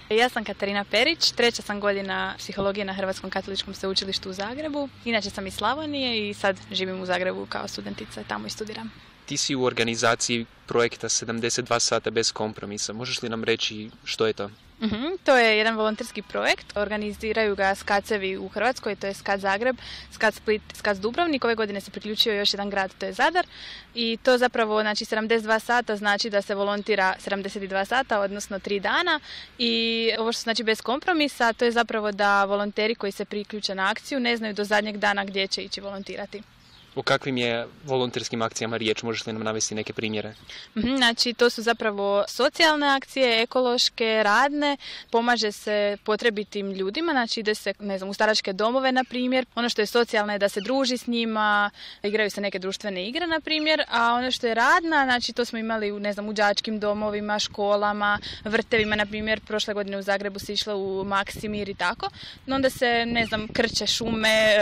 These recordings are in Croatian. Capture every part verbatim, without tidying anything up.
Ja sam Katarina Perić, treća sam godina psihologije na Hrvatskom katoličkom sveučilištu u Zagrebu. Inače sam iz Slavonije i sad živim u Zagrebu kao studentica, tamo i studiram. Ti si u organizaciji projekta sedamdeset dva sata bez kompromisa. Možeš li nam reći što je to? Uhum, to je jedan volonterski projekt, organiziraju ga skacevi u Hrvatskoj, to je Skac Zagreb, Skac Split, Skac Dubrovnik, ove godine se priključio još jedan grad, to je Zadar i to zapravo znači sedamdeset dva sata znači da se volontira sedamdeset dva sata, odnosno tri dana i ovo što znači bez kompromisa, to je zapravo da volonteri koji se priključe na akciju ne znaju do zadnjeg dana gdje će ići volontirati. O kakvim je volonterskim akcijama riječ? Možeš li nam navesti neke primjere? Znači, to su zapravo socijalne akcije, ekološke, radne, pomaže se potrebitim ljudima, znači ide se, ne znam, u staračke domove, na primjer. Ono što je socijalno je da se druži s njima, igraju se neke društvene igre, na primjer, a ono što je radna, znači to smo imali u, ne znam, u đačkim domovima, školama, vrtevima, na primjer, prošle godine u Zagrebu se išlo u Maksimir i tako. No onda se, ne znam, krče šume,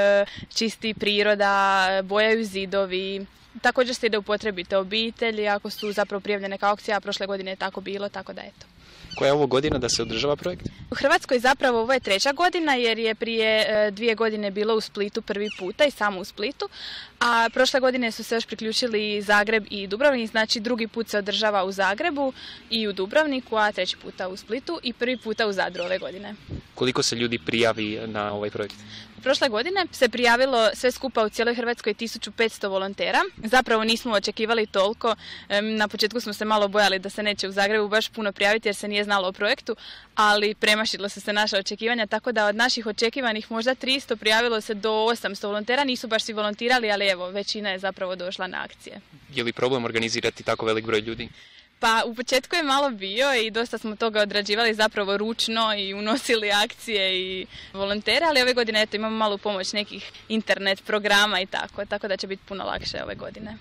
čisti priroda, bojaju zidovi. Također se ide u potrebite obitelji, ako su zapravo prijavljene kao akcija, a prošle godine je tako bilo, tako da eto. Koja je ovo godina da se održava projekt? U Hrvatskoj zapravo ovo je treća godina jer je prije e, dvije godine bilo u Splitu prvi puta i samo u Splitu, a prošle godine su se još priključili Zagreb i Dubrovnik, znači drugi put se održava u Zagrebu i u Dubrovniku, a treći puta u Splitu i prvi puta u Zadru ove godine. Koliko se ljudi prijavi na ovaj projekt? Prošle godine se prijavilo sve skupa u cijeloj Hrvatskoj tisuću petsto volontera. Zapravo nismo očekivali toliko. Na početku smo se malo bojali da se neće u Zagrebu baš puno prijaviti jer se nije znalo o projektu, ali premašilo su se naša očekivanja, tako da od naših očekivanih možda tristo prijavilo se do osamsto volontera. Nisu baš svi volontirali, ali evo, većina je zapravo došla na akcije. Je li problem organizirati tako velik broj ljudi? Pa u početku je malo bio i dosta smo toga odrađivali zapravo ručno i unosili akcije i volontere, ali ove godine eto, imamo malu pomoć nekih internet programa i tako, tako da će biti puno lakše ove godine.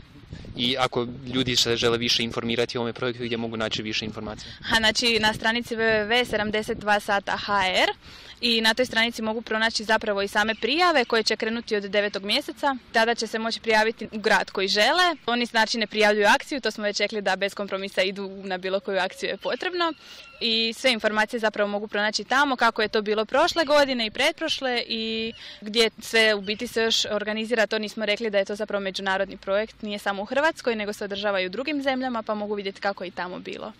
I ako ljudi se žele više informirati o ovome projektu, gdje mogu naći više informacija? Ha, znači na stranici w w w tačka sedamdeset dva sata tačka h r i na toj stranici mogu pronaći zapravo i same prijave koje će krenuti od devetog mjeseca. Tada će se moći prijaviti u grad koji žele. Oni znači ne prijavljuju akciju, to smo već rekli da bez kompromisa idu na bilo koju akciju je potrebno. I sve informacije zapravo mogu pronaći tamo, kako je to bilo prošle godine i pretprošle i gdje sve u biti se još organizira. To nismo rekli da je to zapravo međunarodni projekt, nije samo u Hrvatskoj, nego se održava i u drugim zemljama, pa mogu vidjeti kako je i tamo bilo.